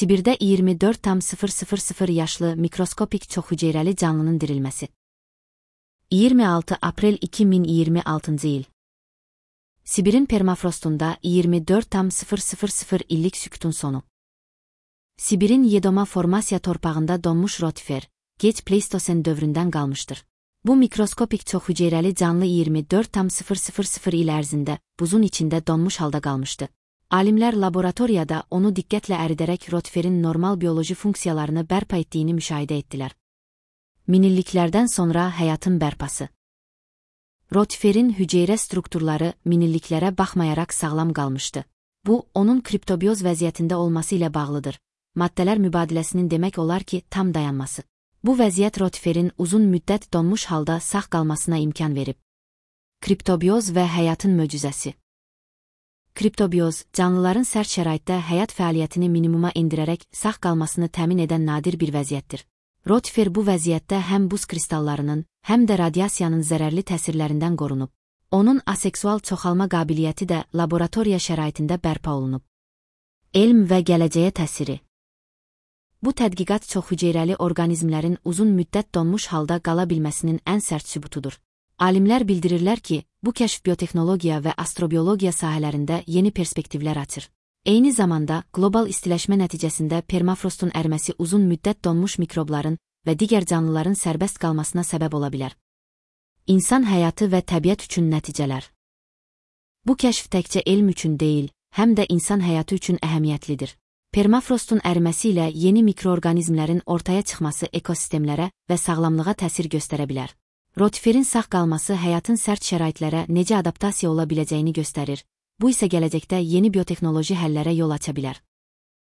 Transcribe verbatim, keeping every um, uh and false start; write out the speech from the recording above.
Sibirdə iyirmi dörd tam sıfır sıfır sıfır yaşlı mikroskopik çoxhüceyrəli canlının dirilməsi. iyirmi altı aprel iki min iyirmi altıncı il. Sibirin permafrostunda iyirmi dörd tam sıfır sıfır sıfır illik sükutun sonu. Sibirin Yedoma formasiya torpağında donmuş rotifer, geç Pleistosen dövründən qalmışdır. Bu mikroskopik çoxhüceyrəli canlı iyirmi dörd tam sıfır sıfır sıfır il ərzində buzun içində donmuş halda qalmışdı. Alimlər laboratoriyada onu diqqətlə əridərək rotiferin normal bioloji funksiyalarını bərpa etdiyini müşahidə etdilər. Minilliklərdən sonra həyatın bərpası. Rotiferin hüceyrə strukturları minilliklərə baxmayaraq sağlam qalmışdı. Bu, onun kriptobioz vəziyyətində olması ilə bağlıdır. Maddələr mübadiləsinin demək olar ki, tam dayanması. Bu vəziyyət rotiferin uzun müddət donmuş halda sağ qalmasına imkan verib. Kriptobioz və həyatın möcüzəsi. Kriptobioz, canlıların sərt şəraitdə həyat fəaliyyətini minimuma endirərək sağ qalmasını təmin edən nadir bir vəziyyətdir. Rotifer bu vəziyyətdə həm buz kristallarının, həm də radiasiyanın zərərli təsirlərindən qorunub. Onun aseksual çoxalma qabiliyyəti də laboratoriya şəraitində bərpa olunub. Elm və gələcəyə təsiri. Bu tədqiqat çoxhüceyrəli orqanizmlərin uzun müddət donmuş halda qala bilməsinin ən sərt sübutudur. Alimlər bildirirlər ki, bu kəşf biotexnologiya və astrobiologiya sahələrində yeni perspektivlər açır. Eyni zamanda, qlobal istiləşmə nəticəsində permafrostun əriməsi uzun müddət donmuş mikrobların və digər canlıların sərbəst qalmasına səbəb ola bilər. İnsan həyatı və təbiət üçün nəticələr. Bu kəşf təkcə elm üçün deyil, həm də insan həyatı üçün əhəmiyyətlidir. Permafrostun əriməsi ilə yeni mikroorqanizmlərin ortaya çıxması ekosistemlərə və sağlamlığa təsir göstərə bilər. Rotiferin sağ qalması həyatın sərt şəraitlərə necə adaptasiya ola biləcəyini göstərir. Bu isə gələcəkdə yeni biotexnoloji həllərə yol aça bilər.